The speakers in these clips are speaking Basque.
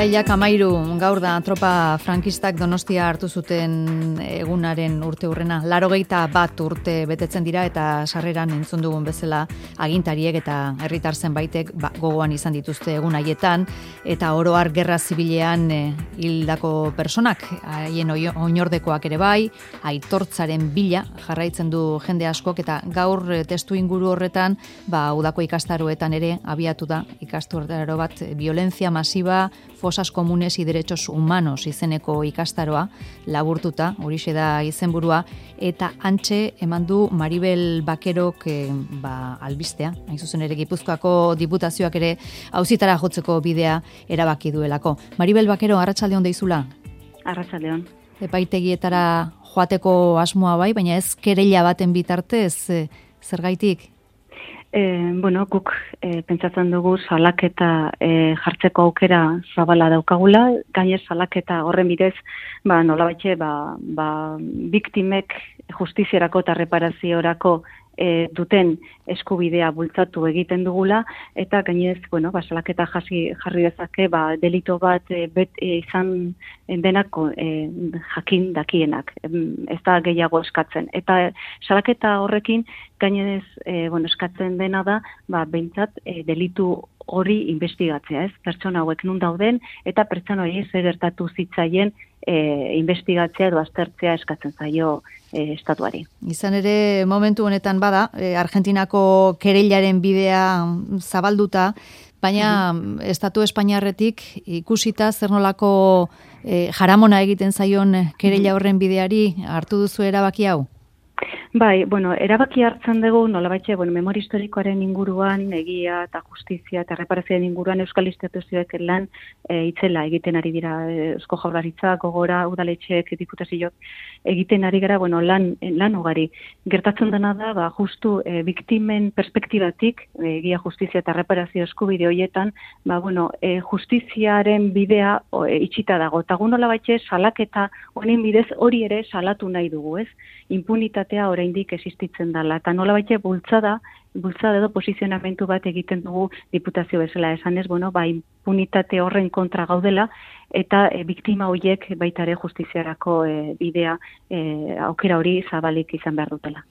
Irailak 13 gaur da tropa frankistak Donostia hartu zuten egunaren urteurrena. 81 urte betetzen dira eta sarreran entzun dugun bezala agintariek eta herritar zenbaitek gogoan izan dituzte egun haietan eta oro har gerra zibilean hildako personak, haien oinordekoak ere bai, aitortzaren bila jarraitzen du jende askok eta gaur testu inguru horretan udako ikastaroetan ere abiatu da ikastaro bat violencia masiva, fosas comunes y derechos humanos izeneko ikastaroa, laburtuta, horixe da izenburua, eta antxe eman du Maribel Bakerok albistea, hain zuzen ere Gipuzkoako diputazioak ere auzitara jotzeko bidea erabaki duelako. Maribel Bakero, arratsaldeon deizula? Arratsaldeon. Epaitegietara joateko asmoa bai, baina ez kereila baten bitartez, zergaitik? Guk pentsatzen dugu salaketa jartzeko aukera zabala daukagula, gainez salaketa horren bidez, nolabaitxe, biktimek justiziarako eta reparaziorako duten eskubidea bultzatu egiten dugula, eta gainez, salaketa jarri dezake, delito bat izan denako jakin dakienak, ez da gehiago eskatzen. Eta salaketa horrekin, gainez, eskatzen dena da, behintzat, delitu hori investigatzea, ez? Pertsona hauek nun dauden, eta pertsona hori zer gertatu zitzaien investigatzea edo aztertzea eskatzen zaio estatuari. Izan ere, momentu honetan bada, Argentinako kereilaren bidea zabalduta, baina estatu espainiarretik ikusita zer nolako jaramona egiten zaion kereila horren bideari hartu duzu erabaki hau? Bai, erabaki hartzen dugu, nolabaitxe, memoria historikoaren inguruan, egia eta justizia eta reparazioaren inguruan euskal instituzioek lan itzela egiten ari dira Eusko Jaurlaritza, Gogora, udaletxeek, diputazioak egiten ari gara, lan ugari. Gertatzen dena da, justu biktimen perspektibatik, egia justizia eta reparazio eskubide horietan, justiziaren bidea itxita dago. Eta nolabaitxe, salaketa honen bidez hori ere salatu nahi dugu, ez? Impunitatea oraindik existitzen dela. Eta nolabait bultzada edo posizionamentu bat egiten dugu diputazio bezala. Esanez, impunitate horren kontra gaudela eta biktima horiek baita ere justiziarako bidea aukera hori zabalik izan behar dutela.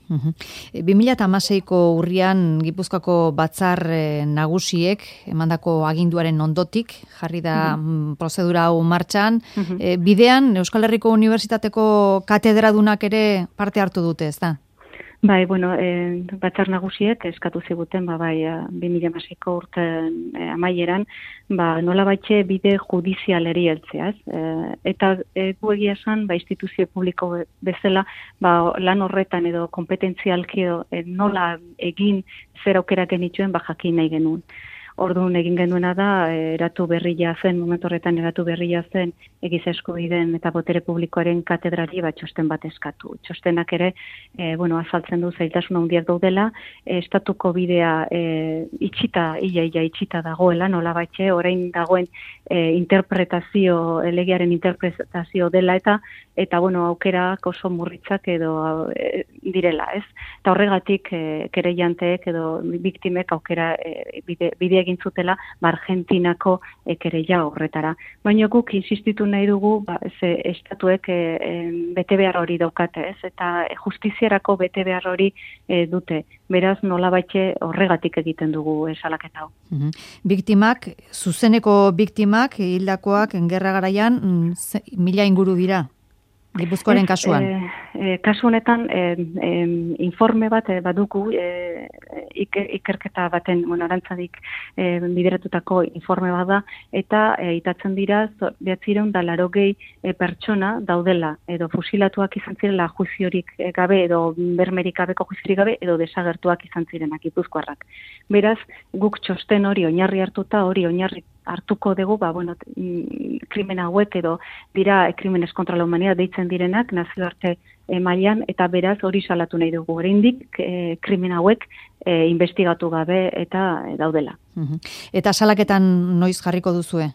2016ko urrian Gipuzkoako batzar nagusiek emandako aginduaren ondotik jarri da prozedura hau martxan. Bidean Euskal Herriko Unibertsitateko katedradunak ere parte hartu dute, ez da? Bai, batzar nagusiek eskatu ziguten, 2016ko urte amaieran, nolabaitxe bide judizialeri heltzea, ez? Eta gu egia esan, instituzio publiko bezala, lan horretan edo kompetentzialki edo nola egin zer aukera genituen, jakin nahi genuen. Orduan egin genuena da, momentu horretan eratu berria zen, egiza eskubideen eta botere publikoaren katedrari txosten bat eskatu. Txostenak ere, azaltzen du zailtasun handiak daudela, estatuko bidea itxita dagoela, nolabaitxe, orain dagoen legearen interpretazio dela eta aukerak oso murritzak edo direla, ez? Eta horregatik kereilanteek edo biktimek aukera bide egin zutela Argentinako kereila horretara. Baina guk insistitu nahi dugu estatuek bete behar hori daukate, ez? Eta justiziarako bete behar hori dute. Beraz, nolabaitxe horregatik egiten dugu salaketa hau. Biktimak, zuzeneko biktimak, hildakoak, gerra garaian, 1000 inguru dira. Gipuzkoaren kasuan? Kasu honetan, informe bat badugu, ikerketa baten, arantzadik bideratutako informe bat da, eta itatzen dira, 980 pertsona daudela, edo fusilatuak izan zirela juziorik gabe, edo bermerik gabeko juziorik gabe, edo desagertuak izan zirenak Gipuzkoarrak. Beraz, guk txosten hori oinarri hartuko dugu, krimen hauek edo dira krimenes kontra la humanidad deitzen direnak nazioarte mailan eta beraz hori salatu nahi dugu. Oraindik krimen hauek investigatu gabe eta daudela. Eta salaketan noiz jarriko duzue?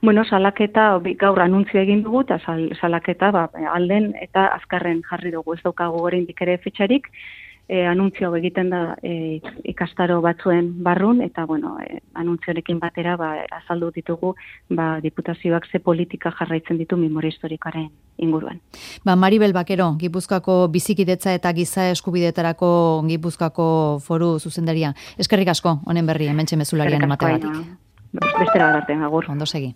Salaketa gaur anuntzio egin dugu eta salaketa alden eta azkarren jarri dugu. Ez daukagu oraindik ere fetxarik. anuntzio egiten da ikastaro batzuen barrun, eta bueno, anuntziorekin batera azaldu ditugu diputazioak ze politika jarraitzen ditu memoria historikoaren inguruan. Maribel Bakero, Gipuzkoako bizikidetza eta giza eskubidetarako Gipuzkoako foru zuzendaria. Eskerrik asko, honen berri, hementxe mezularian emategatik. Bestera bat arte, agur. Ondo segi.